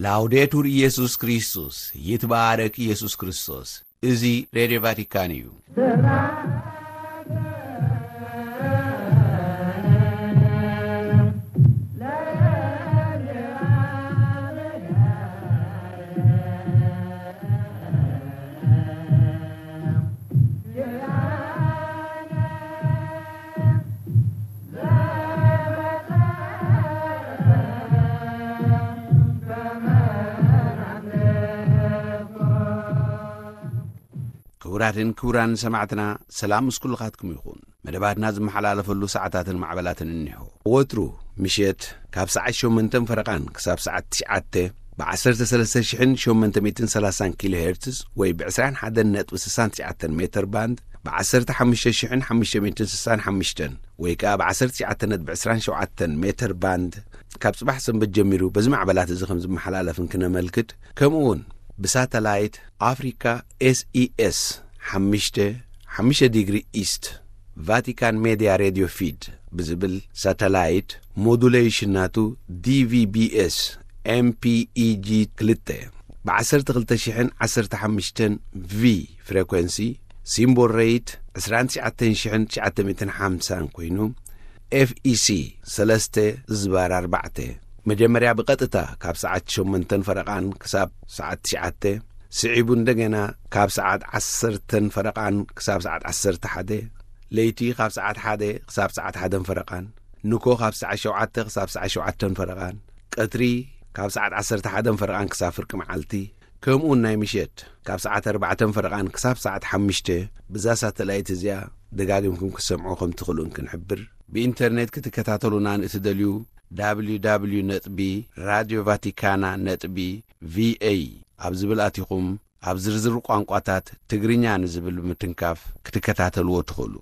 ላውዴቱር ኢየሱስ ክርስቶስ፣ ይትባረክ ኢየሱስ ክርስቶስ። እዚ ሬድዮ ቫቲካን እዩ። ክቡራትን ክቡራን ሰማዕትና፣ ሰላም ምስ ኩልኻትኩም ይኹን። መደባትና ዝመሓላለፈሉ ሰዓታትን ማዕበላትን እኒሆ። ወትሩ ምሸት ካብ ሰዓት ሸሞንተን ፈረቓን ክሳብ ሰዓት ትሽዓተ ብ ዓሰርተ ሰለስተ ሽሕን ሸሞንተ ሚእትን ሰላሳን ኪሎ ሄርትዝ ወይ ብ ዕስራን ሓደን ነጥቢ ስሳን ትሽዓተን ሜተር ባንድ፣ ብ ዓሰርተ ሓሙሽተ ሽሕን ሓሙሽተ ሚእትን ስሳን ሓሙሽተን ወይ ከኣ ብ ዓሰርተ ትሽዓተ ነጥቢ ዕስራን ሸውዓተን ሜተር ባንድ፣ ካብ ጽባሕ ሰንበት ጀሚሩ በዚ ማዕበላት እዚ ከም ዝመሓላለፍ እንክነመልክት፣ ከምኡ እውን ብሳተላይት ኣፍሪካ ኤስኢኤስ ሓሙሽተ፣ ሓሙሽተ ዲግሪ ኢስት፣ ቫቲካን ሜድያ ሬድዮ ፊድ ብዝብል ሳተላይት፣ ሞዱሌሽን ናቱ ዲቪቢኤስ ኤምፒኢጂ ክልተ፣ ብ ዓሰርተ ክልተ ሽሕን ዓሰርተ ሓሙሽተን ቪ ፍሬኮንሲ፣ ሲምቦል ሬት ዕስራን ትሽዓተን ሽሕን ትሽዓተ ሚእትን ሓምሳን ኮይኑ፣ ኤፍኢሲ ሰለስተ ዝባር ኣርባዕተ፣ መጀመርያ ብቐጥታ ካብ ሰዓት ሸሞንተን ፈረቓን ክሳብ ሰዓት ትሽዓተ፣ ስዒቡ እንደገና ካብ ሰዓት ዓሰርተን ፈረቓን ክሳብ ሰዓት ዓሰርተ ሓደ፣ ለይቲ ካብ ሰዓት ሓደ ክሳብ ሰዓት ሓደን ፈረቓን፣ ንኮ ካብ ሰዓት ሸውዓተ ክሳብ ሰዓት ሸውዓተን ፈረቓን፣ ቀትሪ ካብ ሰዓት ዓሰርተ ሓደን ፈረቓን ክሳብ ፍርቂ መዓልቲ፣ ከምኡውን ናይ ምሸት ካብ ሰዓት ኣርባዕተን ፈረቓን ክሳብ ሰዓት ሓሙሽተ፣ ብዛ ሳተላይት እዚኣ ደጋጊምኩም ክትሰምዑ ከም ትኽእሉ እንክንሕብር፣ ብኢንተርኔት ክትከታተሉና ንእትደልዩ፣ www ነጥቢ ራድዮ ቫቲካና ነጥቢ ቪኤ ኣብ ዝብል ኣቲኹም፣ ኣብ ዝርዝር ቋንቋታት ትግርኛ ንዝብል ብምትንካፍ ክትከታተልዎ ትኽእሉ።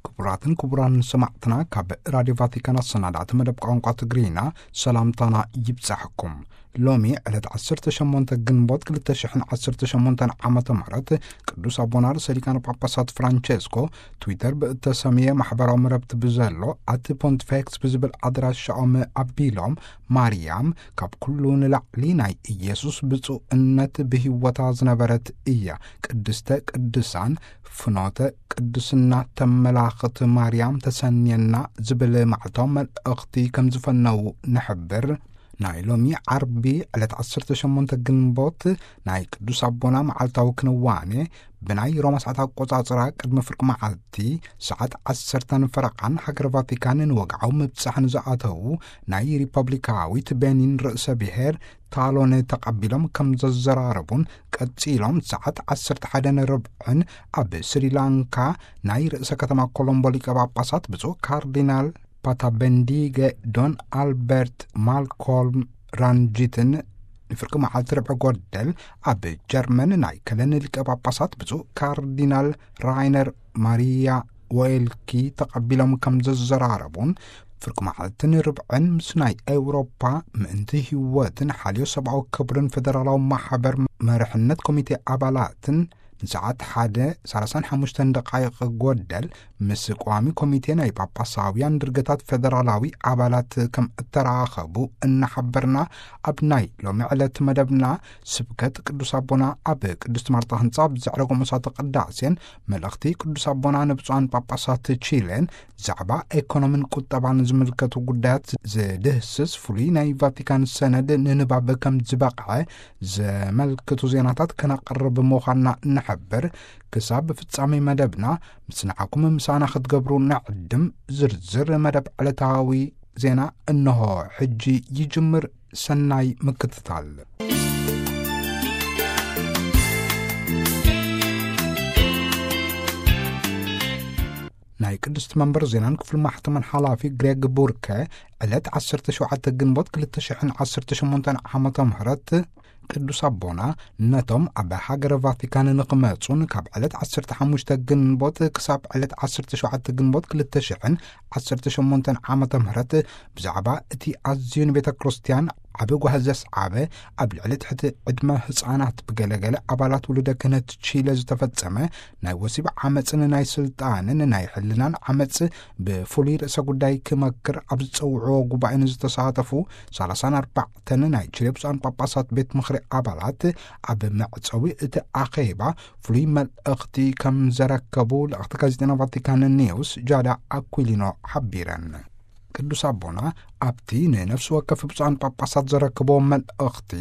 ክቡራትን ክቡራን ሰማዕትና፣ ካብ ራድዮ ቫቲካን ኣሰናዳእቲ መደብ ቋንቋ ትግርኛ ሰላምታና ይብጻሕኩም። ሎሚ ዕለት ዓሰርተ ሸሞንተ ግንቦት ክልተ ሽሕን ዓሰርተ ሸሞንተን ዓመተ ምህረት፣ ቅዱስ ኣቦና ርእሰ ሊቃነ ጳጳሳት ፍራንቸስኮ ትዊተር ብእተሰምየ ማሕበራዊ መረብቲ ብዘሎ ኣቲ ፖንቲፌክስ ብዝብል ኣድራሻኦም ኣቢሎም፣ ማርያም ካብ ኩሉ ንላዕሊ ናይ ኢየሱስ ብፁዕነት ብህይወታ ዝነበረት እያ። ቅድስተ ቅዱሳን፣ ፍኖተ ቅድስና ተመላኽት ማርያም ተሰንየና ዝብል ማዕታዊ መልእኽቲ ከም ዝፈነዉ ንሕብር። ናይ ሎሚ ዓርቢ ዕለት ዓሰርተ ሸሞንተ ግንቦት ናይ ቅዱስ ኣቦና መዓልታዊ ክንዋኔ ብናይ ሮማ ሰዓት ኣቆጻጽራ ቅድሚ ፍርቂ መዓልቲ ሰዓት ዓሰርተን ፈረቓን ሃገር ቫቲካን ንወግዓዊ ምብጻሕ ንዝኣተዉ ናይ ሪፐብሊካዊት ቤኒን ርእሰ ብሔር ታሎን ተቐቢሎም ከም ዘዘራረቡን፣ ቀጺሎም ሰዓት ዓሰርተ ሓደን ርብዕን ኣብ ስሪላንካ ናይ ርእሰ ከተማ ኮሎምቦ ሊቀ ጳጳሳት ብፁዕ ካርዲናል ፓታበንዲገ ዶን ኣልበርት ማልኮልም ራንጂትን፣ ንፍርቂ መዓልቲ ርብዒ ጎደል ኣብ ጀርመን ናይ ከለን ሊቀ ጳጳሳት ብፁዕ ካርዲናል ራይነር ማሪያ ወይልኪ ተቐቢሎም ከም ዘዘራረቡን፣ ፍርቂ መዓልትን ርብዕን ምስ ናይ ኤውሮፓ ምእንቲ ህይወትን ሓልዮ ሰብኣዊ ክብርን ፌደራላዊ ማሕበር መርሕነት ኮሚቴ ኣባላትን ንሰዓት ሓደ ሰላሳን ሓሙሽተን ደቃይቕ ጎደል ምስ ቀዋሚ ኮሚቴ ናይ ጳጳሳውያን ድርገታት ፌደራላዊ ኣባላት ከም እተራኸቡ እናሓበርና፣ ኣብ ናይ ሎሚ ዕለት መደብና ስብከት ቅዱስ ኣቦና ኣብ ቅድስት ማርታ ህንጻ ኣብ ዘዕረጎ መስዋዕተ ቅዳሴን፣ መልእኽቲ ቅዱስ ኣቦና ንብፁዓን ጳጳሳት ቺሌን፣ ዛዕባ ኤኮኖሚን ቁጠባን ዝምልከቱ ጉዳያት ዝድህስስ ፍሉይ ናይ ቫቲካን ሰነድ ንንባብ ከም ዝበቕዐ ዘመልክቱ ዜናታት ከነቕርብ ምዃንና ንሕብር። ክሳብ ፍጻሜ መደብና ምስ ንዓኩም ምሳና ክትገብሩ ንዕድም። ዝርዝር መደብ ዕለታዊ ዜና እንሆ ሕጂ ይጅምር። ሰናይ ምክትታል። ናይ ቅድስቲ መንበር ዜናን ክፍሊ ማሕተምን ሓላፊ ግሬግ ቡርከ፣ ዕለት ዓሰርተ ሸውዓተ ግንቦት ክልተ ሽሕን ዓሰርተ ሸሞንተን ዓመተ ምህረት፣ ቅዱስ ኣቦና ነቶም ኣብ ሃገረ ቫቲካን ንኽመጹን ካብ ዕለት ዓሰርተ ሓሙሽተ ግንቦት ክሳብ ዕለት ዓሰርተ ሸውዓተ ግንቦት ክልተ ሽሕን ዓሰርተ ሸሞንተን ዓመተ ምህረት ብዛዕባ እቲ ኣዝዩ ንቤተ ክርስቲያን ዓቢ ጓህ ዘስዓበ፣ ኣብ ልዕሊ ትሕቲ ዕድመ ህጻናት ብገለገለ ኣባላት ውሉደ ክህነት ቺለ ዝተፈጸመ ናይ ወሲብ ዓመጽን ናይ ስልጣንን ናይ ሕልናን ዓመጽ ብፍሉይ ርእሰ ጉዳይ ክመክር ኣብ ዝጸውዕዎ ጉባኤ ንዝተሳተፉ ሰላሳን ኣርባዕተን ናይ ቺለ ብፁዓን ጳጳሳት ቤት ምኽሪ ኣባላት፣ ኣብ መዕጸዊ እቲ ኣኼባ ፍሉይ መልእኽቲ ከም ዘረከቡ ልእኽቲ ጋዜጠና ቫቲካን ኒውስ ጃዳ ኣኩሊኖ ሓቢረን። ቅዱስ ኣቦና ኣብቲ ንነፍሲ ወከፍ ብፁዓን ጳጳሳት ዘረከቦ መልእኽቲ፣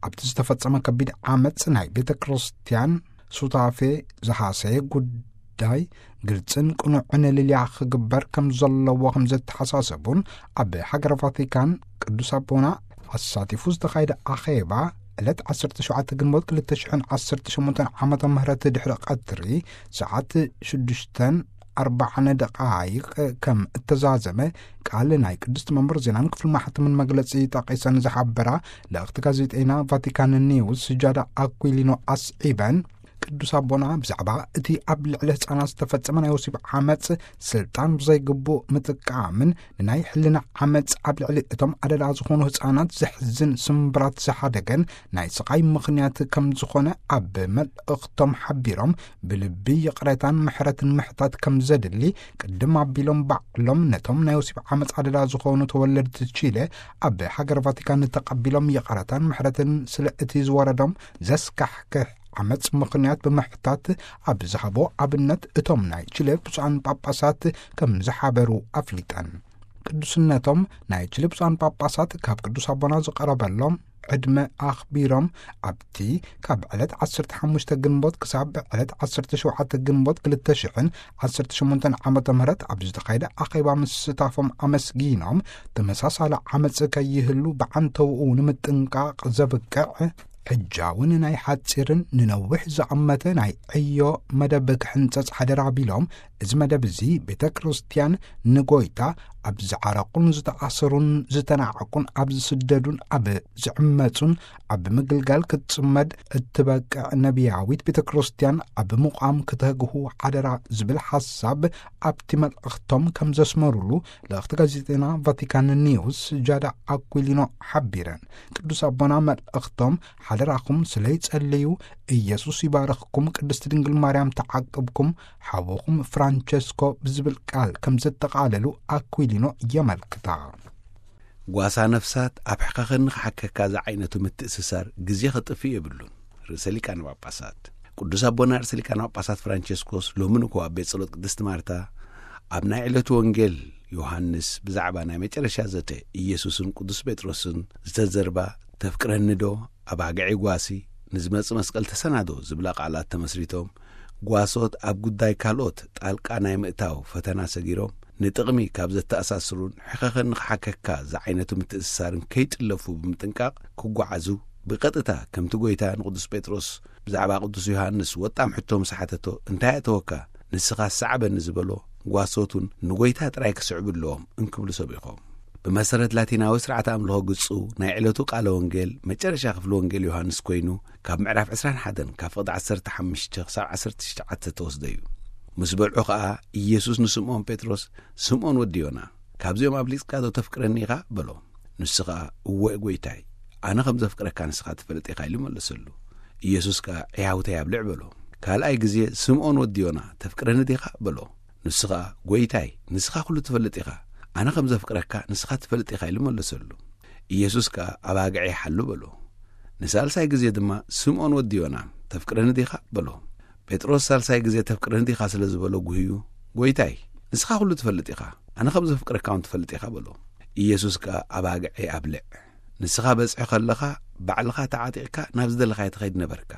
ኣብቲ ዝተፈጸመ ከቢድ ዓመጽ ናይ ቤተ ክርስቲያን ሱታፌ ዝሃሰየ ጉዳይ ግልጽን ቅኑዕን ልልያ ክግበር ከም ዘለዎ ከም ዘተሓሳሰቡን፣ ኣብ ሃገረ ቫቲካን ቅዱስ ኣቦና ኣሳቲፉ ዝተኻየደ ኣኼባ ዕለት ዓሰርተ ሸውዓተ ግንቦት ክልተ ሽሕን ዓሰርተ ሸሞንተን ዓመተ ምህረት ድሕሪ ቀትሪ ሰዓት ሽዱሽተን ኣርባዓን ደቓይቕ ከም እተዛዘመ ቃል ናይ ቅድስቲ መንበር ዜናን ክፍሊ ማሕተምን መግለጺ ጠቒሰን ዝሓበራ ልእኽቲ ጋዜጠና ቫቲካን ኒውስ ጃዳ ኣኩሊኖ ኣስዒበን፣ ቅዱስ ኣቦና ብዛዕባ እቲ ኣብ ልዕሊ ህጻናት ዝተፈጸመ ናይ ወሲብ ዓመጽ ስልጣን ብዘይግቡእ ምጥቃምን ንናይ ሕልና ዓመጽ ኣብ ልዕሊ እቶም ኣደዳ ዝኾኑ ህጻናት ዘሕዝን ስምብራት ዝሓደገን ናይ ስቓይ ምኽንያት ከም ዝኾነ ኣብ መልእኽቶም ሓቢሮም፣ ብልቢ ይቕሬታን ምሕረትን ምሕታት ከም ዘድሊ ቅድም ኣቢሎም ባዕሎም ነቶም ናይ ወሲብ ዓመጽ ኣደዳ ዝኾኑ ተወለድቲ ቺለ ኣብ ሃገር ቫቲካን ተቐቢሎም ይቕሬታን ምሕረትን ስለ እቲ ዝወረዶም ዘስካሕክሕ ዓመጽ ምኽንያት ብምሕታት ኣብ ዝሃቦ ኣብነት እቶም ናይ ቺለ ብፁዓን ጳጳሳት ከም ዝሓበሩ ኣፍሊጠን። ቅዱስነቶም ናይ ቺለ ብፁዓን ጳጳሳት ካብ ቅዱስ ኣቦና ዝቐረበሎም ዕድመ ኣኽቢሮም ኣብቲ ካብ ዕለት ዓሰርተ ሓሙሽተ ግንቦት ክሳብ ዕለት ዓሰርተ ሸውዓተ ግንቦት ክልተ ሽሕን ዓሰርተ ሸሞንተን ዓመተ ምህረት ኣብ ዝተኻየደ ኣኼባ ምስታፎም ኣመስጊኖም፣ ተመሳሳሊ ዓመጽ ከይህሉ ብዓንተውኡ ንምጥንቃቕ ዘብቅዕ ሕጃውን ናይ ሓጺርን ንነዊሕ ዝኣመተ ናይ ዕዮ መደብ ክሕንጸጽ ሓደራ ቢሎም፣ እዚ መደብ እዚ ቤተ ክርስቲያን ንጎይታ ኣብ ዝዓረቁን ዝተኣሰሩን ዝተናዕቁን ኣብ ዝስደዱን ኣብ ዝዕመጹን ኣብ ምግልጋል ክትጽመድ እትበቅዕ ነቢያዊት ቤተ ክርስቲያን ኣብ ምቋም ክተግሁ ሓደራ ዝብል ሓሳብ ኣብቲ መልእኽቶም ከም ዘስመሩሉ ልእኽቲ ጋዜጠና ቫቲካን ኒውስ ጃዳ ኣኩሊኖ ሓቢረን። ቅዱስ ኣቦና መልእኽቶም ሓደራኹም ስለ ይጸልዩ፣ ኢየሱስ ይባርኽኩም፣ ቅድስቲ ድንግል ማርያም ተዓቅብኩም፣ ሓውኹም ፍራንቸስኮ ብዝብል ቃል ከም ዘጠቓለሉ ኣኩሊኖ የመልክታ። ጓሳ ነፍሳት ኣብ ሕኸኸኒ ክሓከካ ዝዓይነቱ ምትእስሳር ግዜ ኸጥፍእ የብሉን። ርእሰ ሊቃነ ጳጳሳት ቅዱስ ኣቦና ርእሰ ሊቃነ ጳጳሳት ፍራንቸስኮስ ሎሚ ንኮ ኣብ ቤት ጸሎት ቅድስቲ ማርታ ኣብ ናይ ዕለቱ ወንጌል ዮሃንስ ብዛዕባ ናይ መጨረሻ ዘተ ኢየሱስን ቅዱስ ጴጥሮስን ዝተዘርባ፣ "ተፍቅረኒ ዶ? ኣባግዒ ጓሲ፣ ንዝመጽእ መስቀል ተሰናዶ" ዝብላ ቃላት ተመስሪቶም፣ ጓሶት ኣብ ጉዳይ ካልኦት ጣልቃ ናይ ምእታው ፈተና ሰጊሮም፣ ንጥቕሚ ካብ ዘተኣሳስሩን ሕኸኸ ንኽሓከካ ዝዓይነቱ ምትእስሳርን ከይጥለፉ ብምጥንቃቕ ክጓዓዙ፣ ብቐጥታ ከምቲ ጐይታ ንቅዱስ ጴጥሮስ ብዛዕባ ቅዱስ ዮሃንስ ወጣም ሕቶ ምስ ሓተቶ፣ "እንታይ ኣእተወካ? ንስኻ ሰዓበኒ" ዝበሎ፣ ጓሶት እውን ንጐይታ ጥራይ ክስዕቡ ኣለዎም እንክብሉ ሰቢኾም። ብመሰረት ላቲናዊ ስርዓተ ኣምልኾ ግጹ፣ ናይ ዕለቱ ቃለ ወንጌል መጨረሻ ክፍሊ ወንጌል ዮሃንስ ኮይኑ፣ ካብ ምዕራፍ ዕስራን ሓደን ካብ ፍቕዲ ዓሰርተ ሓሙሽተ ክሳብ ዓሰርተ ትሽዓተ ተወስደ እዩ። ምስ በልዑ ኸኣ፣ ኢየሱስ ንስምዖን ጴጥሮስ፣ "ስምዖን ወዲ ዮና፣ ካብዚኦም ኣብሊጽካ ዶ ተፍቅረኒ ኢኻ?" በሎ። ንሱ ኸኣ፣ "እወ ጐይታይ፣ ኣነ ከም ዘፍቅረካ ንስኻ ትፈልጥ ኢኻ" ኢሉ መለሰሉ። ኢየሱስ ከኣ፣ "ዕያውተይ ኣብልዕ" በሎ። ካልኣይ ግዜ፣ "ስምዖን ወዲ ዮና፣ ተፍቅረኒ ዲኻ?" በሎ። ንሱ ኸኣ፣ "ጐይታይ፣ ንስኻ ኵሉ ትፈልጥ ኢኻ፣ ኣነ ከም ዘፍቅረካ ንስኻ ትፈልጥ ኢኻ" ኢሉ መለሰሉ። ኢየሱስ ከኣ፣ "ኣባግዐይ ሓሉ" በሎ። ንሳልሳይ ግዜ ድማ፣ "ስምዖን ወዲ ዮና፣ ተፍቅረኒ ዲኻ?" በሎ። ጴጥሮስ ሳልሳይ ግዜ "ተፍቅረኒ ዲኻ?" ስለ ዝበሎ ጉህዩ፣ "ጐይታይ፣ ንስኻ ኵሉ ትፈልጥ ኢኻ፣ ኣነ ከም ዘፍቅረካ እውን ትፈልጥ ኢኻ" በሎ። ኢየሱስ ከኣ፣ "ኣባግዐይ ኣብልዕ። ንስኻ በጽሒ ከለኻ፣ ባዕልኻ ተዓጢቕካ ናብ ዝደለኻዮ ትኸይድ ነበርካ።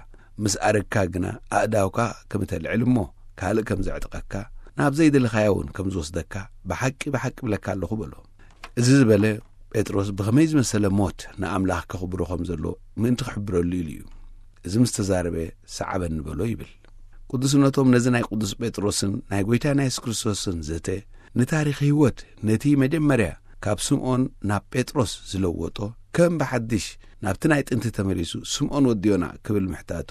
ምስ ኣረግካ ግና፣ ኣእዳውካ ከም እተልዕል እሞ፣ ካልእ ከም ዘዕጥቐካ፣ ናብ ዘይደለኻዮ እውን ከም ዝወስደካ፣ ብሓቂ፣ ብሓቂ እብለካ ኣለኹ" በሎ። እዚ ዝበለ ጴጥሮስ ብኸመይ ዝመሰለ ሞት ንኣምላኽ ከኽብሮ ከም ዘሎ ምእንቲ ክሕብረሉ ኢሉ እዩ። እዚ ምስ ተዛረበ፣ "ሰዓበኒ" በሎ ይብል። ቅዱስነቶም ነዚ ናይ ቅዱስ ጴጥሮስን ናይ ጐይታና የሱስ ክርስቶስን ዘተ ንታሪኽ ህይወት፣ ነቲ መጀመርያ ካብ ስምዖን ናብ ጴጥሮስ ዝለወጦ፣ ከም ብሓድሽ ናብቲ ናይ ጥንቲ ተመሊሱ "ስምዖን ወዲ ዮና" ክብል ምሕታቱ፣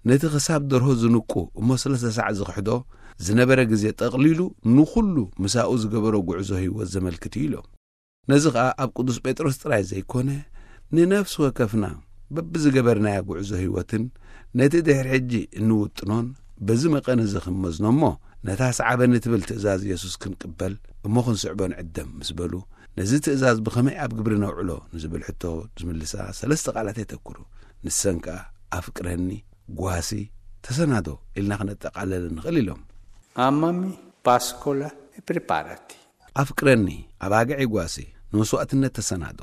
ነቲ ክሳብ ደርሆ ዝንቁ እሞ ሰለስተ ሳዕ ዝኽሕዶ ዝነበረ ግዜ ጠቕሊሉ ንኹሉ ምሳኡ ዝገበሮ ጉዕዞ ህይወት ዘመልክት እዩ ኢሎም። ነዚ ኸኣ ኣብ ቅዱስ ጴጥሮስ ጥራይ ዘይኮነ፣ ንነፍሲ ወከፍና በብዝገበርናዮ ጉዕዞ ህይወትን ነቲ ድሕሪ ሕጂ እንውጥኖን በዚ መቐን እዚ ክንመዝኖ እሞ፣ ነታ ሰዓበኒ ትብል ትእዛዝ የሱስ ክንቅበል እሞ ክንስዕቦ ንዕደም ምስ በሉ፣ ነዚ ትእዛዝ ብኸመይ ኣብ ግብሪ ነውዕሎ ንዝብል ሕቶ ዝምልሳ ሰለስተ ቃላት የተኩሩ። ንሰን ከኣ ኣፍቅረኒ፣ ጓሲ፣ ተሰናዶ ኢልና ክነጠቓለል ንኽእል ኢሎም። Amami, pascola e preparati. ኣፍቅረኒ፣ ኣባግዒ ጓሲ፣ ንመስዋእትነት ተሰናዶ።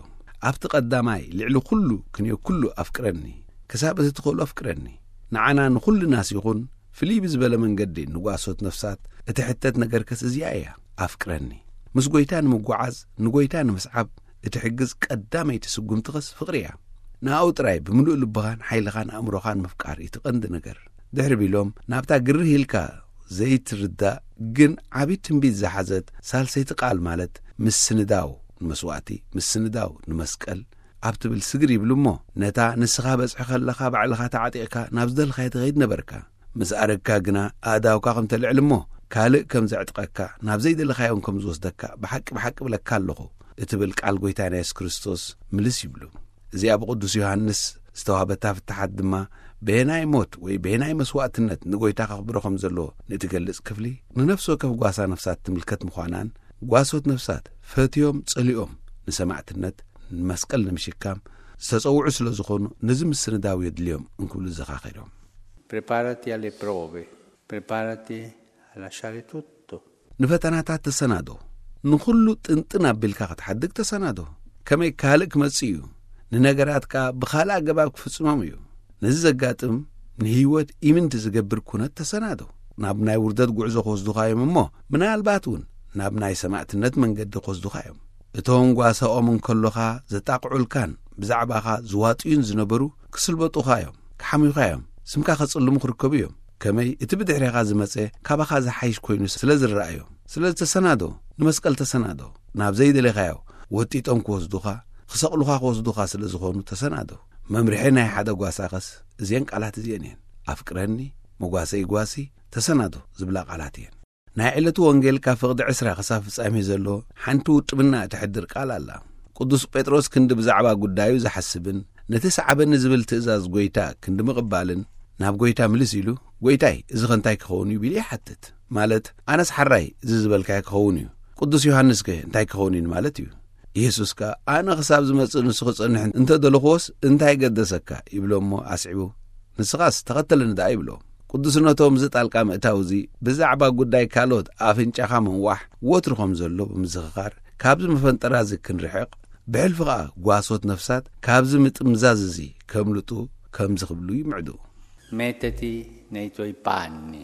ኣብቲ ቀዳማይ ልዕሊ ኩሉ ክንዮ ኩሉ ኣፍቅረኒ። ክሳብ እቲ ትኽእሉ ኣፍቅረኒ። ንዓና ንኹልናስ ይኹን ፍልይ ብዝበለ መንገዲ ንጓሶት ነፍሳት እትሕተት ነገርከስ እዚኣ እያ። ኣፍቅረኒ። ምስ ጎይታ ንምጓዓዝ፣ ንጎይታ ንምስዓብ እትሕግዝ ቀዳመይቲ ስጉምቲ ኸስ ፍቕሪ እያ። ንኣኡ ጥራይ ብምሉእ ልብኻን ሓይልኻን ኣእምሮኻን ምፍቃር እዩ እቲ ቀንዲ ነገር። ድሕሪ ቢሎም ናብታ ግርህ ኢልካ ዘይትርዳእ ግን ዓቢ ትንቢት ዝሓዘት ሳልሰይቲ ቃል ማለት ምስንዳው ንመስዋእቲ፣ ምስንዳው ንመስቀል ኣብ ትብል ስግር ይብሉ እሞ፣ ነታ ንስኻ በጽሒ ከለኻ ባዕልኻ ተዓጢቕካ ናብ ዝደልኻዮ ትኸይድ ነበርካ። ምስ ኣረግካ ግና ኣእዳውካ ከም ተልዕል እሞ ካልእ ከም ዘዕጥቐካ፣ ናብ ዘይደለኻዮን ከም ዝወስደካ ብሓቂ ብሓቂ እብለካ ኣለኹ እትብል ቃል ጎይታና የሱስ ክርስቶስ ምልስ ይብሉ። እዚኣ ብቅዱስ ዮሃንስ ዝተዋህበታ ፍትሓት ድማ በየናይ ሞት ወይ በየናይ መስዋእትነት ንጎይታ ከኽብሮ ከም ዘለዎ ንእትገልጽ ክፍሊ ንነፍሲ ወከፍ ጓሳ ነፍሳት ትምልከት ምዃናን፣ ጓሶት ነፍሳት ፈትዮም ጸሊኦም ንሰማዕትነት ንመስቀል ንምሽካም ዝተጸውዑ ስለ ዝኾኑ ነዚ ምስንዳው የድልዮም እንክብሉ ዘኻኺሮም። Preparati alle prove, preparati a lasciare tutto. ንፈተናታት ተሰናዶ። ንኹሉ ጥንጥን ኣቢልካ ክትሓድግ ተሰናዶ። ከመይ ካልእ ክመጽእ እዩ። ንነገራት ከኣ ብኻልእ ኣገባብ ክፍጽሞም እዩ። ነዚ ዘጋጥም ንህይወት ኢምንቲ ዝገብር ኩነት ተሰናዶ። ናብ ናይ ውርደት ጉዕዞ ክወስዱኻ እዮም እሞ ምናልባት እውን ናብ ናይ ሰማዕትነት መንገዲ ክወስዱኻ እዮም። እቶም ጓሳኦም እንከሎኻ ዘጣቕዑልካን ብዛዕባኻ ዝዋጥዩን ዝነበሩ ክስልበጡኻ እዮም፣ ክሓምዩኻ እዮም፣ ስምካ ከጽልሙ ክርከቡ እዮም። ከመይ እቲ ብድሕሬኻ ዝመጸ ካባኻ ዝሓይሽ ኮይኑ ስለ ዝረኣዮም። ስለዚ ተሰናዶ፣ ንመስቀል ተሰናዶ። ናብ ዘይደለኻዮ ወጢጦም ክወስዱኻ፣ ክሰቕሉኻ ክወስዱኻ ስለ ዝኾኑ ተሰናዶ። መምርሒ ናይ ሓደ ጓሳኸስ እዚአን ቃላት እዚአን እየን። ኣፍቅረኒ፣ መጓሰይ ጓሲ፣ ተሰናዶ ዝብላ ቃላት እየን። ናይ ዕለቱ ወንጌል ካብ ፍቕዲ ዕስራ ክሳብ ፍጻሜ ዘሎ ሓንቲ ውጥብና እትሕድር ቃል ኣላ። ቅዱስ ጴጥሮስ ክንዲ ብዛዕባ ጉዳዩ ዝሓስብን ነቲ ሰዓበኒ ዝብል ትእዛዝ ጎይታ ክንዲ ምቕባልን ናብ ጎይታ ምልስ ኢሉ፣ "ጎይታይ፣ እዚ ኸ እንታይ ክኸውን እዩ?" ቢሉ ይሓትት። ማለት፣ "ኣነስ ሓራይ እዚ ዝበልካዮ ክኸውን እዩ። ቅዱስ ዮሃንስ ከ እንታይ ክኸውን እዩ?" ማለት እዩ። ኢየሱስ ከኣ፣ "ኣነ ክሳብ ዝመጽእ ንሱ ክጸንሕ እንተ ደለኽዎስ እንታይ ገደሰካ?" ይብሎ እሞ ኣስዒቡ፣ "ንስኻስ ተኸተለኒ ደኣ" ይብሎ። ቅዱስነቶም እዚ ጣልቃ ምእታው እዚ ብዛዕባ ጉዳይ ካልኦት ኣፍንጫኻ ምንዋሕ ወትሩ ከም ዘሎ ብምዝኽኻር፣ ካብዚ መፈንጠራ እዚ ክንርሕቕ፣ ብሕልፊ ኸኣ ጓሶት ነፍሳት ካብዚ ምጥምዛዝ እዚ ከምልጡ ከምዚ ክብሉ ይምዕዱ። Mettiti nei tuoi panni,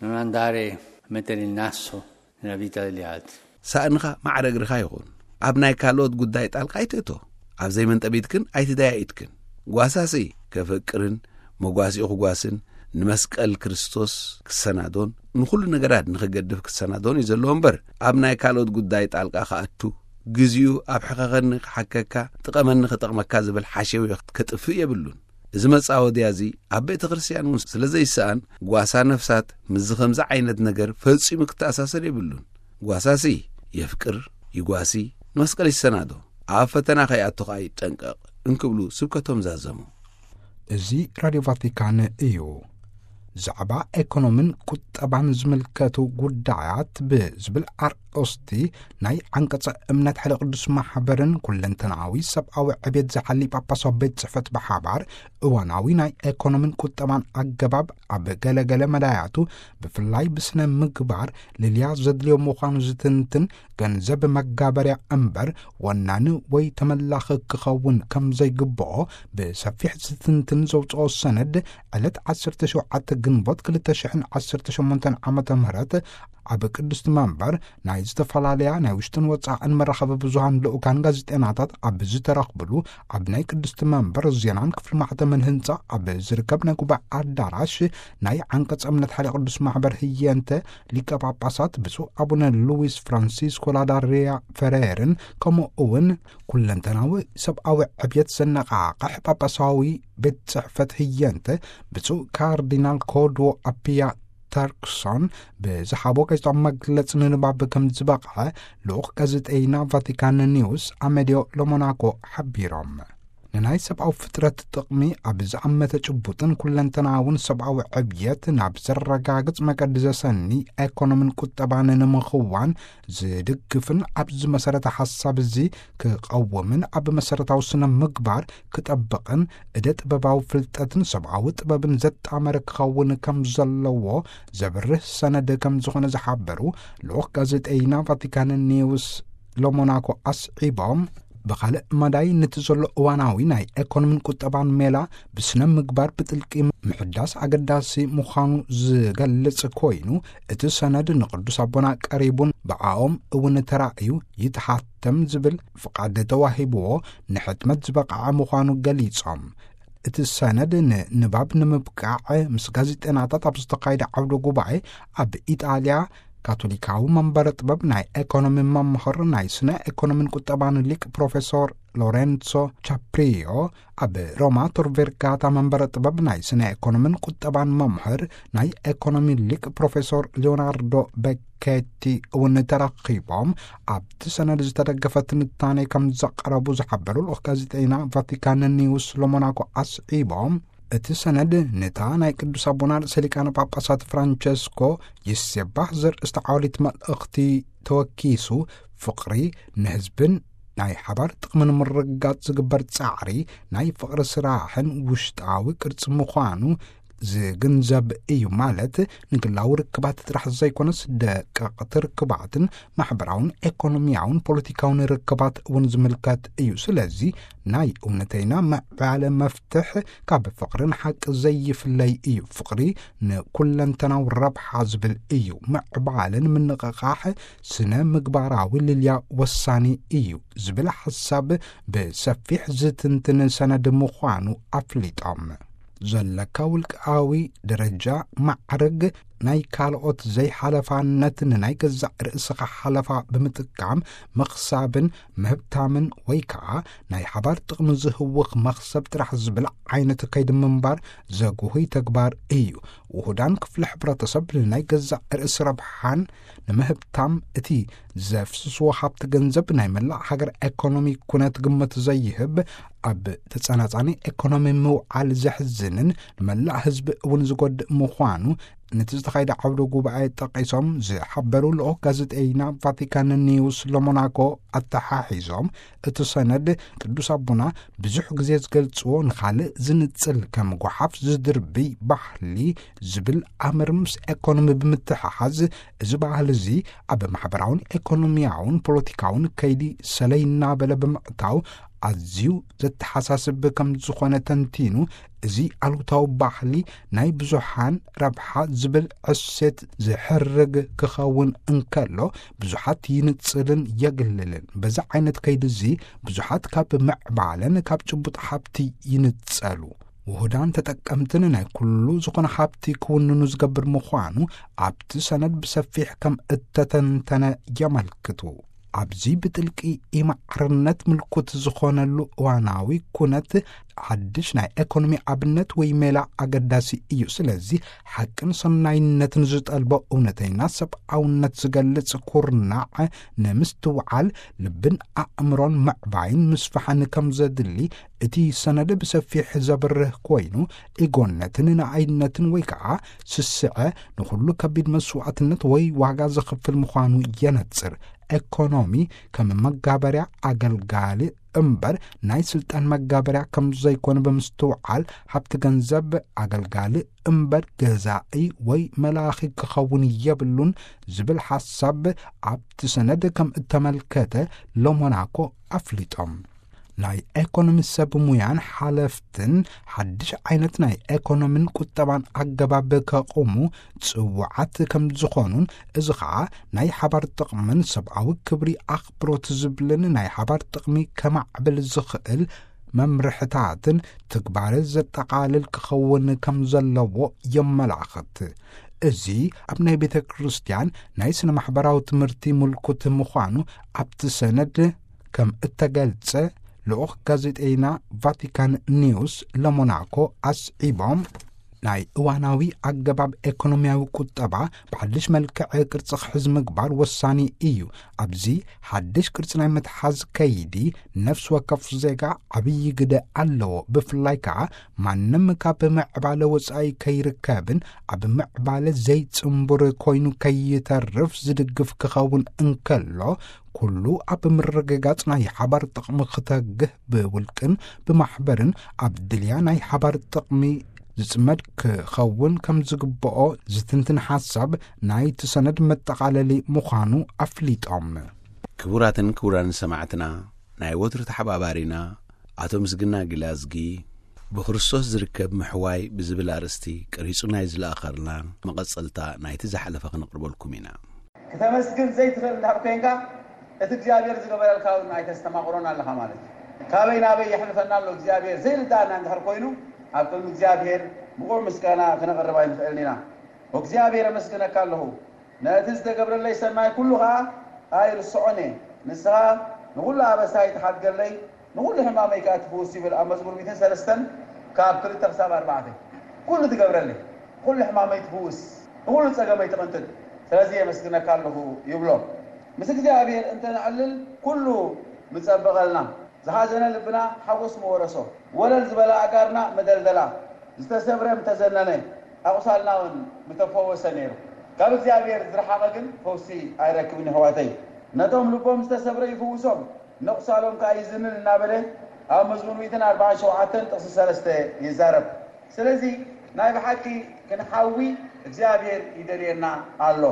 non andare a mettere il naso nella vita degli altri. ሳእንኻ ማዕረ እግርኻ ይኹን። ኣብ ናይ ካልኦት ጉዳይ ጣልቃ ኣይትእቶ። ኣብ ዘይመንጠቢትክን ኣይትደያይትክን። ጓሳሲ ከፍቅርን መጓሲኡ ክጓስን ንመስቀል ክርስቶስ ክሰናዶን ንኹሉ ነገራት ንኽገድፍ ክሰናዶን እዩ ዘለዎ እምበር፣ ኣብ ናይ ካልኦት ጉዳይ ጣልቃ ክኣቱ፣ ግዜኡ ኣብ ሕኸኸኒ ክሓከካ፣ ጥቐመኒ ክጠቕመካ ዝብል ሓሸውዮ ከጥፍእ የብሉን። እዚ መጻወድያ እዚ ኣብ ቤተ ክርስቲያን እውን ስለ ዘይሰኣን፣ ጓሳ ነፍሳት ምስዚ ከምዚ ዓይነት ነገር ፈጺሙ ክተኣሳሰር የብሉን። ጓሳሲ የፍቅር፣ ይጓሲ፣ ንመስቀል ይሰናዶ፣ ኣብ ፈተና ከይኣቱ ኸኣ ይጠንቀቕ እንክብሉ ስብከቶም ዛዘሙ። እዚ ራድዮ ቫቲካን እዩ። ዛዕባ ኤኮኖምን ቁጠባን ዝምልከቱ ጉዳያት ብዝብል ኣርእስቲ ናይ ዓንቀጸ እምነት ሓደ ቅዱስ ማሕበርን ኩለንተናዊ ሰብኣዊ ዕቤት ዝሓሊ ጳጳሳዊ ቤት ጽሕፈት ብሓባር እዋናዊ ናይ ኤኮኖምን ቁጠባን ኣገባብ ኣብ ገለገለ መዳያቱ ብፍላይ ብስነ ምግባር ልልያ ዘድልዮ ምዃኑ ዝትንትን ገንዘብ መጋበርያ እምበር ወናኒ ወይ ተመላኺ ክኸውን ከም ዘይግብኦ ብሰፊሕ ዝትንትን ዘውፅኦ ሰነድ ዕለት ዓሰርተ ሸውዓተ ግንቦት ክልተ ሽሕን ዓሰርተ ሸሞንተን ዓመተ ምህረት ኣብ ቅድስቲ መንበር ናይ ዝተፈላለያ ናይ ውሽጥን ወፃእን መራኸቢ ብዙሃን ልኡካን ጋዜጠናታት ኣብ ዝተረኽብሉ ኣብ ናይ ቅድስቲ መንበር ዜናን ክፍሊ ማሕተምን ህንፃ ኣብ ዝርከብ ናይ ጉባኤ ኣዳራሽ ናይ ዓንቀፅ እምነት ሓደ ቅዱስ ማሕበር ህየንተ ሊቀ ጳጳሳት ብፁዕ ኣቡነ ሉዊስ ፍራንሲስኮ ላዳሪያ ፈሬርን ከምኡ እውን ኩለንተናዊ ሰብኣዊ ዕብየት ዘነቓቕሕ ጳጳሳዊ ቤት ጽሕፈት ህየንተ ብፁዕ ካርዲናል ኮድዎ ኣፒያ ተርክሶን ብዝሃቦ ጋዜጣዊ መግለጺ ንንባብ ከም ዝበቕዐ ልኡኽ ጋዜጠይና ቫቲካን ኒውስ ኣመዲዮ ሎሞናኮ ሓቢሮም። ንናይ ሰብኣዊ ፍጥረት ጥቕሚ ኣብ ዝኣመተ ጭቡጥን ኩለንተናውን ሰብኣዊ ዕብየት ናብ ዘረጋግጽ መገዲ ዘሰኒ ኤኮኖምን ቁጠባን ንምኽዋን ዝድግፍን ኣብዚ መሰረተ ሓሳብ እዚ ክቐውምን ኣብ መሰረታዊ ስነ ምግባር ክጠብቕን እደ ጥበባዊ ፍልጠትን ሰብኣዊ ጥበብን ዘጣመረ ክኸውን ከም ዘለዎ ዘብርህ ሰነድ ከም ዝኾነ ዝሓበሩ ልኡኽ ጋዜጠይና ቫቲካን ኒውስ ሎሞናኮ ኣስዒቦም፣ ብኻልእ መዳይ ነቲ ዘሎ እዋናዊ ናይ ኤኮኖሚን ቁጠባን ሜላ ብስነ ምግባር ብጥልቂ ምሕዳስ ኣገዳሲ ምዃኑ ዝገልጽ ኮይኑ፣ እቲ ሰነድ ንቅዱስ ኣቦና ቀሪቡን ብኣኦም እውን ተራእዩ ይትሓተም ዝብል ፍቓድ ተዋሂብዎ ንሕትመት ዝበቕዐ ምዃኑ ገሊጾም። እቲ ሰነድ ንንባብ ንምብቃዕ ምስ ጋዜጠናታት ኣብ ዝተኻየደ ዓውደ ጉባኤ ኣብ ኢጣልያ ካቶሊካዊ መንበረ ጥበብ ናይ ኤኮኖሚ መምህር ናይ ስነ ኤኮኖሚን ቁጠባን ሊቅ ፕሮፌሶር ሎሬንሶ ቻፕሪዮ፣ ኣብ ሮማ ቶር ቬርጋታ መንበረ ጥበብ ናይ ስነ ኤኮኖሚን ቁጠባን መምህር ናይ ኤኮኖሚ ሊቅ ፕሮፌሶር ሊዮናርዶ ቤኬቲ እውን ተረኺቦም ኣብቲ ሰነድ ዝተደገፈ ትንታኔ ከም ዘቕረቡ ዝሓበሩ ልኡኽ ጋዜጠይና ቫቲካን ኒውስ ሎሞናኮ ኣስዒቦም፣ እቲ ሰነድ ነታ ናይ ቅዱስ ኣቦና ርእሰ ሊቃነ ጳጳሳት ፍራንቸስኮ ይሴባህ ዘርእስቲ ዓወሊት መልእኽቲ ተወኪሱ፣ ፍቕሪ ንህዝብን ናይ ሓባር ጥቕሚ ንምርግጋጽ ዝግበር ጻዕሪ ናይ ፍቕሪ ስራሕን ውሽጣዊ ቅርጺ ምዃኑ ዝግንዘብ እዩ። ማለት ንግላዊ ርክባት ጥራሕ ዘይኮነስ ደቀቕቲ ርክባትን ማሕበራውን ኤኮኖሚያውን ፖለቲካውን ርክባት እውን ዝምልከት እዩ። ስለዚ ናይ እውነተይና ምዕባለ መፍትሕ ካብ ፍቕርን ሓቂ ዘይፍለይ እዩ። ፍቕሪ ንኩለንተናዊ ረብሓ ዝብል እዩ። ምዕባለን ምንቕቓሕ ስነ ምግባራዊ ልልያ ወሳኒ እዩ ዝብል ሓሳብ ብሰፊሕ ዝትንትን ሰነድ ምዃኑ ኣፍሊጦም። ዘለካ ውልቃዊ ደረጃ ማዕርግ ናይ ካልኦት ዘይሓለፋነት ንናይ ገዛእ ርእስኻ ሓለፋ ብምጥቃም ምኽሳብን ምህብታምን ወይ ከዓ ናይ ሓባር ጥቕሚ ዝህውኽ መኽሰብ ጥራሕ ዝብል ዓይነት ከይዲ ምንባር ዘጉህይ ተግባር እዩ። ውሁዳን ክፍሊ ሕብረተሰብ ንናይ ገዛእ ርእሲ ረብሓን ንምህብታም እቲ ዘፍስስዎ ሃብቲ ገንዘብ ናይ መላእ ሃገር ኤኮኖሚ ኩነት ግምት ዘይህብ፣ ኣብ ተጸናጻኒ ኤኮኖሚ ምውዓል ዘሕዝንን ንመላእ ህዝቢ እውን ዝጎድእ ምዃኑ ነቲ ዝተኻየደ ዓውደ ጉባኤ ጠቒሶም ዝሓበሩ ልኡኽ ጋዜጠይና ቫቲካን ኒውስ ሎሞናኮ ኣተሓሒዞም፣ እቲ ሰነድ ቅዱስ ኣቦና ብዙሕ ግዜ ዝገልጽዎ ንኻልእ ዝንጽል ከም ጓሓፍ ዝድርብይ ባህሊ ዝብል ኣምር ምስ ኤኮኖሚ ብምትሕሓዝ፣ እዚ ባህሊ እዚ ኣብ ማሕበራውን ኤኮኖሚያውን ፖለቲካውን ከይዲ ሰለይ እናበለ ብምእታው ኣዝዩ ዘተሓሳስብ ከም ዝኾነ ተንቲኑ፣ እዚ ኣሉታዊ ባህሊ ናይ ብዙሓን ረብሓ ዝብል ዕሴት ዝሕርግ ክኸውን እንከሎ፣ ብዙሓት ይንጽልን የግልልን። በዚ ዓይነት ከይዲ እዚ ብዙሓት ካብ ምዕባለን ካብ ጭቡጥ ሃብቲ ይንጸሉ። ውሁዳን ተጠቀምትን ናይ ኩሉ ዝኾነ ሃብቲ ክውንኑ ዝገብር ምዃኑ ኣብቲ ሰነድ ብሰፊሕ ከም እተተንተነ የመልክቱ። ኣብዚ ብጥልቂ ኢማዕርነት ምልኩት ዝኾነሉ እዋናዊ ኩነት ሓድሽ ናይ ኤኮኖሚ ኣብነት ወይ ሜላ ኣገዳሲ እዩ። ስለዚ ሓቅን ሰናይነትን ዝጠልቦ እውነተይና ሰብኣውነት ዝገልጽ ኩርናዕ ንምስትውዓል ልብን ኣእምሮን ምዕባይን ምስፋሕን ከም ዘድሊ እቲ ሰነድ ብሰፊሕ ዘብርህ ኮይኑ፣ ኢጎነትን ንኣይነትን ወይ ከዓ ስስዐ ንኹሉ ከቢድ መስዋዕትነት ወይ ዋጋ ዘኽፍል ምዃኑ የነጽር። ኤኮኖሚ ከም መጋበርያ ኣገልጋሊ እምበር ናይ ስልጣን መጋበርያ ከም ዘይኮነ ብምስትውዓል፣ ሃብቲ ገንዘብ ኣገልጋሊ እምበር ገዛኢ ወይ መላኺ ክኸውን የብሉን ዝብል ሓሳብ ኣብቲ ሰነድ ከም እተመልከተ ሎሞናኮ ኣፍሊጦም። ናይ ኤኮኖሚ ሰብ ሙያን ሓለፍትን ሓድሽ ዓይነት ናይ ኤኮኖሚን ቁጠባን ኣገባብ ከቑሙ ጽውዓት ከም ዝኾኑን፣ እዚ ኸኣ ናይ ሓባር ጥቕምን ሰብኣዊ ክብሪ ኣኽብሮት ዝብልን ናይ ሓባር ጥቕሚ ከማዕብል ዝኽእል መምርሕታትን ትግባረ ዘጠቓልል ክኸውን ከም ዘለዎ የመላኽት። እዚ ኣብ ናይ ቤተ ክርስቲያን ናይ ስነ ማሕበራዊ ትምህርቲ ምልኩት ምዃኑ ኣብቲ ሰነድ ከም እተገልጸ ልኡኽ ጋዜጠይና ቫቲካን ኒውስ ለሞናኮ ኣስዒቦም፣ ናይ እዋናዊ ኣገባብ ኤኮኖሚያዊ ቁጠባ ብሓድሽ መልክዕ ቅርጺ ክሕዝ ምግባር ወሳኒ እዩ። ኣብዚ ሓድሽ ቅርጺ ናይ ምትሓዝ ከይዲ፣ ነፍሲ ወከፍ ዜጋ ዓብዪ ግደ ኣለዎ። ብፍላይ ከኣ፣ ማንም ካብ ምዕባለ ወጻኢ ከይርከብን ኣብ ምዕባለ ዘይጽንቡር ኮይኑ ከይተርፍ ዝድግፍ ክኸውን እንከሎ፣ ኩሉ ኣብ ምርግጋጽ ናይ ሓባር ጥቕሚ ክተግህ፣ ብውልቅን ብማሕበርን ኣብ ድልያ ናይ ሓባር ጥቕሚ ዝጽመድ ክኸውን ከም ዝግብኦ ዝትንትን ሓሳብ ናይቲ ሰነድ መጠቓለሊ ምዃኑ ኣፍሊጦም። ክቡራትን ክቡራን ሰማዕትና፣ ናይ ወትሩ ተሓባባሪና ኣቶ ምስግና ግላዝጊ፣ ብክርስቶስ ዝርከብ ምሕዋይ ብዝብል ኣርእስቲ ቀሪጹ ናይ ዝለኣኸልና መቐጸልታ ናይቲ ዝሓለፈ ክነቕርበልኩም ኢና። ክተመስግን ዘይትኽእል እንድሕር ኮይንካ፣ እቲ እግዚኣብሔር ዝገበረልካ እውን ኣይተስተማቕሮን ኣለኻ ማለት እዩ። ካበይ ናበይ የሕልፈና ኣሎ እግዚኣብሔር ዘይርዳእና እንድሕር ኮይኑ፣ ኣብ ቅድሚ እግዚኣብሔር ብቑዕ ምስጋና ክነቕርብ ኣይንኽእልን ኢና። እግዚኣብሔር ኣመስግነካ ኣለኹ። ነቲ ዝተገብረለይ ሰናይ ኩሉ ኸዓ ኣይርስዖን እየ። ንስኻ ንኹሉ ኣበሳይ ትሓድገለይ፣ ንኹሉ ሕማመይ ከኣ ትፍውስ ይብል ኣብ መዝሙር ሚእትን ሰለስተን ካብ ክልተ ክሳብ ኣርባዕተ። ኩሉ ትገብረለይ፣ ኩሉ ሕማመይ ትፍውስ፣ ንኹሉ ጸገመይ ትቕንጥጥ። ስለዚ የመስግነካ ኣለኹ ይብሎ። ምስ እግዚኣብሔር እንተ ነዕልል ኩሉ ምጸበቐልና። ዝሓዘነ ልብና ሓጎስ መወረሶ፣ ወለል ዝበላ ኣእጋርና መደልደላ፣ ዝተሰብረ ምተዘነነ፣ ኣቑሳልና እውን ምተፈወሰ ነይሩ። ካብ እግዚኣብሔር ዝረሓቐ ግን ፈውሲ ኣይረክብን የሕዋተይ። ነቶም ልቦም ዝተሰብረ ይፍውሶም፣ ነቑሳሎም ከኣ ይዝንን እናበለ ኣብ መዝሙር ሚእትን ኣርባዓን ሸውዓተን ጥቕሲ ሰለስተ ይዛረብ። ስለዚ ናይ ብሓቂ ክንሓዊ እግዚኣብሔር ይደልየና ኣሎ።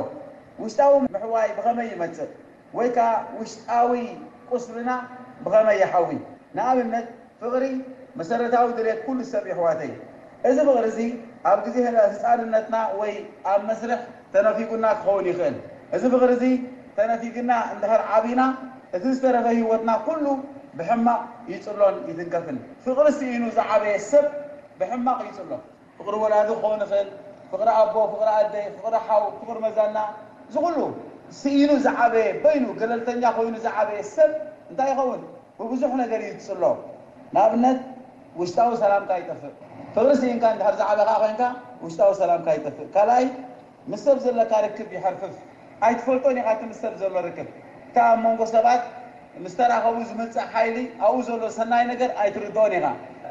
ውሽጣዊ ምሕዋይ ብኸመይ ይመጽእ? ወይ ከኣ ውሽጣዊ ቁስልና ብኸመይ ይሓዊ? ንኣብነት ፍቕሪ መሰረታዊ ድሌት ኩሉ ሰብ የሕዋተይ። እዚ ፍቕሪ እዚ ኣብ ግዜ ህፃንነትና ወይ ኣብ መስርሕ ተነፊጉና ክኸውን ይኽእል። እዚ ፍቕሪ እዚ ተነፊግና እንድሕር ዓቢና እቲ ዝተረፈ ህይወትና ኩሉ ብሕማቕ ይፅሎን ይትንከፍን። ፍቕሪ ስኢኑ ዝዓበየ ሰብ ብሕማቕ ይፅሎ። ፍቕሪ ወላዲ ክኸውን ይኽእል፣ ፍቕሪ ኣቦ፣ ፍቕሪ ኣደ፣ ፍቕሪ ሓው፣ ፍቕሪ መዛና፣ እዚ ኩሉ ስኢኑ ዝዓበየ በይኑ ገለልተኛ ኮይኑ ዝዓበየ ሰብ እንታይ ይኸውን? ብብዙሕ ነገር እዩ ዝፅሎ። ንኣብነት ውሽጣዊ ሰላምካ ይጠፍእ። ፍቕሪ ስኢንካ እንድሕር ዝዓበኻ ኮይንካ ውሽጣዊ ሰላምካ ይጠፍእ። ካልኣይ ምስ ሰብ ዘለካ ርክብ ይሐርፍፍ። ኣይትፈልጦን ኢኻ እቲ ምስ ሰብ ዘሎ ርክብ። እቲ ኣብ መንጎ ሰባት ምስ ተራኸቡ ዝመጽእ ሓይሊ ኣብኡ ዘሎ ሰናይ ነገር ኣይትርድኦን ኢኻ።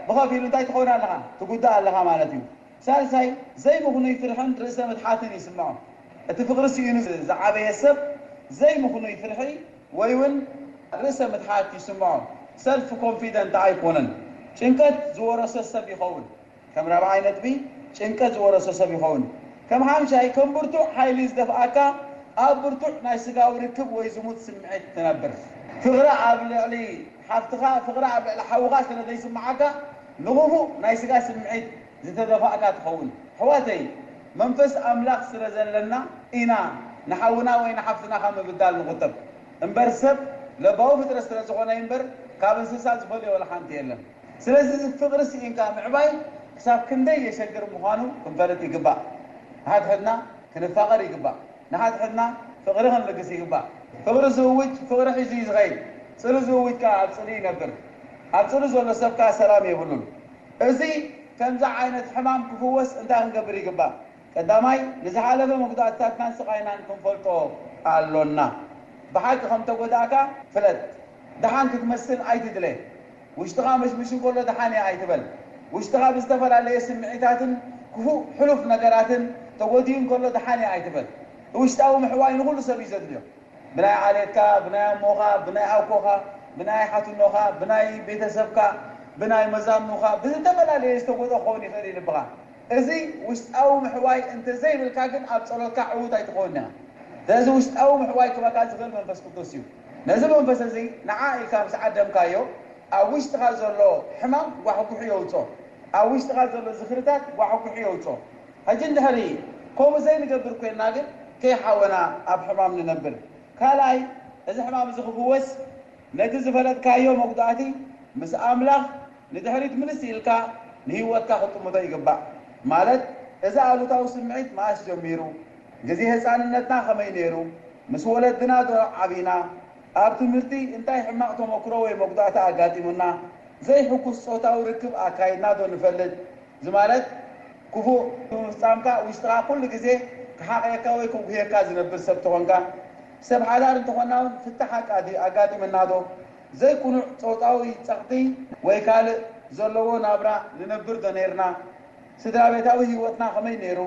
ብኸፊሉ እንታይ ትኸውን ኣለኻ? ትጉዳእ ኣለኻ ማለት እዩ። ሳልሳይ ዘይምኽኑይ ፍርሕን ርእሰ ምትሓትን ይስምዖ። እቲ ፍቕሪ ስኢኑ ዝዓበየ ሰብ ዘይምኽኑይ ፍርሒ ወይ እውን ርእሰ ምትሓት ይስምዖ። ሰልፍ ኮንፊደንት ኣይኮነን። ጭንቀት ዝወረሶ ሰብ ይኸውን። ከም ራብዓይ ነጥቢ ጭንቀት ዝወረሶ ሰብ ይኸውን። ከም ሓምሻይ ከም ብርቱዕ ሓይሊ ዝደፍኣካ ኣብ ብርቱዕ ናይ ስጋዊ ርክብ ወይ ዝሙት ስምዒት ትነብር። ፍቕሪ ኣብ ልዕሊ ሓፍትኻ፣ ፍቕሪ ኣብ ልዕሊ ሓውኻ ስለ ዘይስምዓካ ንኽፉእ ናይ ስጋ ስምዒት ዝተደፋእካ ትኸውን። ኣሕዋተይ መንፈስ ኣምላኽ ስለ ዘለና ኢና ንሓውና ወይ ንሓፍትና ካብ ምብዳል ንቑጠብ እምበር ሰብ ለባዊ ፍጥረት ስለ ዝኾነ እምበር ካብ እንስሳ ዝፈልዮ ወላ ሓንቲ የለን። ስለዚ እዚ ፍቕሪ ስኢንካ ምዕባይ ክሳብ ክንደይ የሸግር ምዃኑ ክንፈልጥ ይግባእ። ንሓድሕድና ክንፋቐር ይግባእ። ንሓድሕድና ፍቕሪ ክንልግስ ይግባእ። ፍቕሪ ዝእውጅ ፍቕሪ ሒዙ እዩ ዝኸይድ። ጽልኢ ዝእውጅ ከኣ ኣብ ጽልኢ ይነብር። ኣብ ጽልኢ ዘሎ ሰብ ከኣ ሰላም የብሉን። እዚ ከምዚ ዓይነት ሕማም ክፍወስ እንታይ ክንገብር ይግባእ? ቀዳማይ ንዝሓለፈ መጉዳእትታትናን ስቓይናን ክንፈልጦ ኣሎና። ብሓቂ ከም ተጎዳእካ ፍለጥ። ደሓን ክትመስል ኣይትድለ። ውሽጥኻ መሽምሽ እንከሎ ደሓን እየ ኣይትበል። ውሽጥኻ ብዝተፈላለየ ስምዒታትን ክፉእ ሕሉፍ ነገራትን ተጎዲኡ እንከሎ ደሓን እየ ኣይትበል። ውሽጣዊ ምሕዋይ ንኹሉ ሰብ እዩ ዘድልዮ። ብናይ ዓሌትካ፣ ብናይ ኣሞኻ፣ ብናይ ኣኮኻ፣ ብናይ ሓትኖኻ፣ ብናይ ቤተሰብካ፣ ብናይ መዛኑኻ ብዝተፈላለየ ዝተጎድኦ ክኸውን ይኽእል እዩ ልብኻ። እዚ ውሽጣዊ ምሕዋይ እንተዘይብልካ ግን ኣብ ጸሎትካ ዕዉት ኣይትኸውን ኢኻ። ስለዚ ውሽጣዊ ምሕዋይ ክበካ ዝኽእል መንፈስ ቅዱስ እዩ። ነዚ መንፈስ እዚ ንዓ ኢልካ ምስ ዓደምካዮ ኣብ ውሽጥኻ ዘሎ ሕማም ጓሕጉሑ የውጾ። ኣብ ውሽጥኻ ዘሎ ዝኽርታት ጓሕጉሑ የውጾ። ሕጂ እንድሕሪ ከምኡ ዘይንገብር ኮይንና ግን ከይሓወና ኣብ ሕማም ንነብር። ካልኣይ እዚ ሕማም እዚ ክፍወስ ነቲ ዝፈለጥካዮ መጉዳእቲ ምስ ኣምላኽ ንድሕሪት ምልስ ኢልካ ንህይወትካ ክጥምቶ ይግባእ። ማለት እዚ ኣሉታዊ ስምዒት መኣስ ጀሚሩ፣ ግዜ ህፃንነትና ከመይ ነይሩ፣ ምስ ወለድና ዶ ዓቢና፣ ኣብ ትምህርቲ እንታይ ሕማቕ ተመክሮ ወይ መጉዳእቲ ኣጋጢሙና፣ ዘይሕጉስ ፆታዊ ርክብ ኣካይድና ዶ ንፈልጥ? እዚ ማለት ክፉእ ብምፍጻምካ ውሽጥኻ ኩሉ ግዜ ክሓቕየካ ወይ ክጉህየካ ዝነብር ሰብ ተኾንካ፣ ሰብ ሓዳር እንተኾንና እውን ፍታሕ ኣቃዲ-፣ ኣጋጢመና ዶ? ዘይቅኑዕ ጾታዊ ጸቕጢ ወይ ካልእ ዘለዎ ናብራ ንነብር ዶ ነይርና? ስድራ ቤታዊ ህይወትና ከመይ ነይሩ?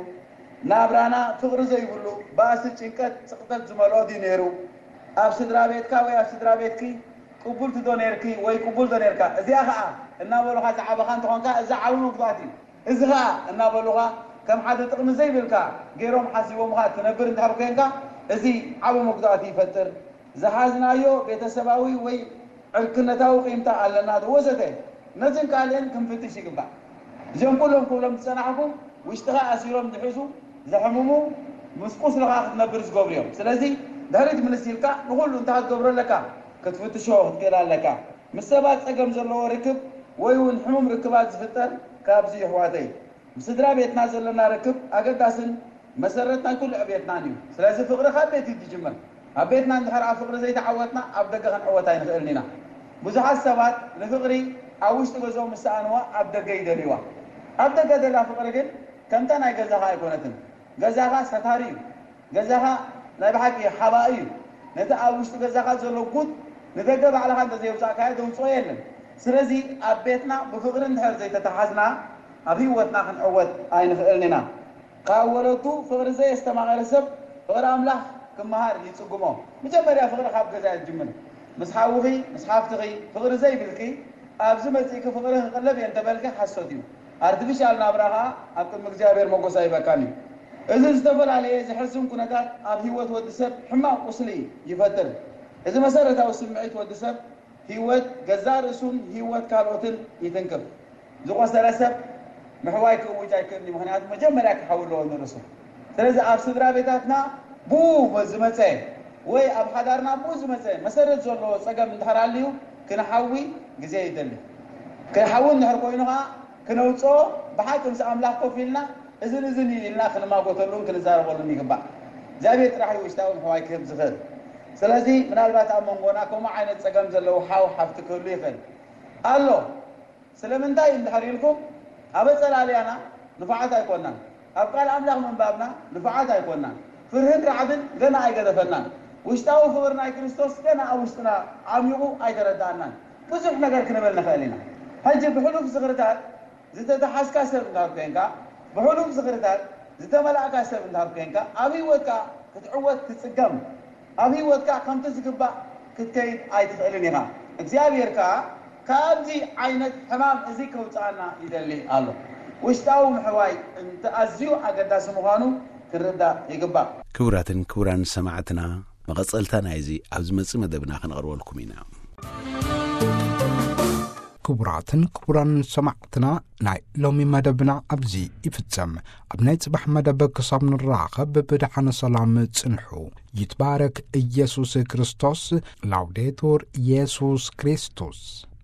ናብራና ፍቕሪ ዘይብሉ፣ ባእሲ፣ ጭንቀት፣ ጽቕጠት ዝመልኦ ድዩ ነይሩ? ኣብ ስድራ ቤትካ ወይ ኣብ ስድራ ቤትኪ ቅቡልቲ ዶ ነይርኪ ወይ ቅቡል ዶ ነይርካ? እዚኣ ኸኣ እናበሉኻ ዝዓበኻ እንተኾንካ፣ እዚ ዓቢ መጉዳእቲ እዩ። እዚ ኸኣ እናበሉኻ ከም ሓደ ጥቕሚ ዘይብልካ ገይሮም ሓሲቦምኻ ትነብር እንድሕር ኮይንካ፣ እዚ ዓቢ መጉዳእቲ ይፈጥር። ዝሓዝናዮ ቤተሰባዊ ወይ ዕርክነታዊ ቂምታ ኣለና ዶ ወዘተ፣ ነዝን ካልእን ክንፍትሽ ይግባእ። እዚኦም ኩሎም ክብሎም ዝጸናሕኩ፣ ውሽጥኻ ኣሲሮም ዝሕዙ፣ ዘሕምሙ፣ ምስ ቁስልኻ ክትነብር ዝገብሩ እዮም። ስለዚ ድሕሪት ምልስ ኢልካ ንኹሉ እንታይ ክትገብሮ ኣለካ? ክትፍትሾ ክትክእል ኣለካ። ምስ ሰባት ጸገም ዘለዎ ርክብ ወይ እውን ሕሙም ርክባት ዝፍጠር ካብዚ እዩ፣ ኣሕዋተይ። ምስ ስድራ ቤትና ዘለና ርክብ ኣገዳስን መሰረት ናይ ኩሉ ዕብየትናን እዩ። ስለዚ ፍቕሪ ካብ ቤት እዩ ዝጅምር። ኣብ ቤትና እንድሕር ኣብ ፍቕሪ ዘይተዓወትና፣ ኣብ ደገ ክንዕወት ኣይንኽእልን ኢና። ብዙሓት ሰባት ንፍቕሪ ኣብ ውሽጢ ገዝኦም ምስ ሰኣንዋ፣ ኣብ ደገ ይደልይዋ። ኣብ ደገ ዘላ ፍቕሪ ግን ከምታ ናይ ገዛኻ ኣይኮነትን። ገዛኻ ሰታሪ እዩ። ገዛኻ ናይ ብሓቂ ሓባኢ እዩ። ነቲ ኣብ ውሽጢ ገዛኻ ዘሎ ጉድ ንደገ ባዕልኻ እንተዘየውጻእካዮ፣ ዘውጽኦ የለን። ስለዚ ኣብ ቤትና ብፍቕሪ እንድሕር ዘይተተሓዝና፣ ኣብ ህይወትና ክንዕወት ኣይንኽእልን ኢና። ካብ ወለዱ ፍቕሪ ዘየስተማቐረ ሰብ ፍቕሪ ኣምላኽ ክመሃር ይጽግሞ። መጀመርያ ፍቕሪ ካብ ገዛ እዩ ዝጅምር። ምስ ሓውኺ፣ ምስ ሓፍትኺ ፍቕሪ ዘይብልኪ፣ ኣብዚ መጺእኪ ፍቕሪ ክቕለብ እየ እንተበልኪ ሓሶት እዩ። ኣርቲፊሻል ናብራ ኸኣ ኣብ ቅድሚ እግዚኣብሔር መጎስ ኣይበካን እዩ። እዚ ዝተፈላለየ ዘሕዝን ኩነታት ኣብ ህይወት ወዲ ሰብ ሕማቕ ቁስሊ ይፈጥር። እዚ መሰረታዊ ስምዒት ወዲ ሰብ ህይወት ገዛእ ርእሱን ህይወት ካልኦትን ይትንክፍ። ዝቆሰለ ሰብ ምሕዋይ ክእውጅ ኣይክእልን እዩ። ምኽንያቱ መጀመርያ ክሓዊ ኣለዎ ንርእሱ። ስለዚ ኣብ ስድራ ቤታትና ብኡ ዝመጸ ወይ ኣብ ሓዳርና ብኡ ዝመጸ መሰረት ዘለዎ ጸገም እንድሕር ኣልዩ ክንሓዊ ግዜ ይደሊ። ክንሓዊ እንድሕር ኮይኑ ኸዓ ክነውጽኦ ብሓቂ ምስ ኣምላኽ ኮፍ ኢልና እዝን እዝን እዩ ኢልና ክንማጎተሉን ክንዛረበሉን ይግባእ። እግዚኣብሔር ጥራሕ እዩ ውሽጣዊ ምሕዋይ ክህብ ዝኽእል። ስለዚ ምናልባት ኣብ መንጎና ከምኡ ዓይነት ጸገም ዘለዎ ሓው ሓፍቲ ክህሉ ይኽእል ኣሎ። ስለምንታይ እንድሕር ኢልኩም፣ ኣብ ኣጸላልያና ንፉዓት ኣይኮናን። ኣብ ቃል ኣምላኽ ምንባብና ንፉዓት ኣይኮናን። ፍርህን ራዕድን ገና ኣይገደፈናን። ውሽጣዊ ፍቕሪ ናይ ክርስቶስ ገና ኣብ ውሽጥና ዓሚቑ ኣይተረድኣናን። ብዙሕ ነገር ክንብል ንኽእል ኢና። ሕጂ ብሕሉፍ ዝኽርታት ዝተተሓዝካ ሰብ እንድሕር ኮይንካ፣ ብሕሉፍ ዝኽርታት ዝተመላእካ ሰብ እንድሕር ኮይንካ፣ ኣብ ህይወትካ ክትዕወት ትጽገም። ኣብ ህይወትካ ከምቲ ዝግባእ ክትከይድ ኣይትኽእልን ኢኻ። እግዚኣብሔር ከኣ ካብዚ ዓይነት ሕማም እዚ ከውጽኣና ይደሊ ኣሎ። ውሽጣዊ ምሕዋይ እንተ ኣዝዩ ኣገዳሲ ምዃኑ ክንርዳእ ይግባእ። ክቡራትን ክቡራን ሰማዕትና፣ መቐጸልታ ናይዚ ኣብ ዝመጽእ መደብና ክንቐርበልኩም ኢና። ክቡራትን ክቡራን ሰማዕትና፣ ናይ ሎሚ መደብና ኣብዚ ይፍጸም። ኣብ ናይ ጽባሕ መደብ ክሳብ ንራኸብ ብደሓነ ሰላም ጽንሑ። ይትባረክ ኢየሱስ ክርስቶስ። ላውዴቱር ኢየሱስ ክርስቶስ።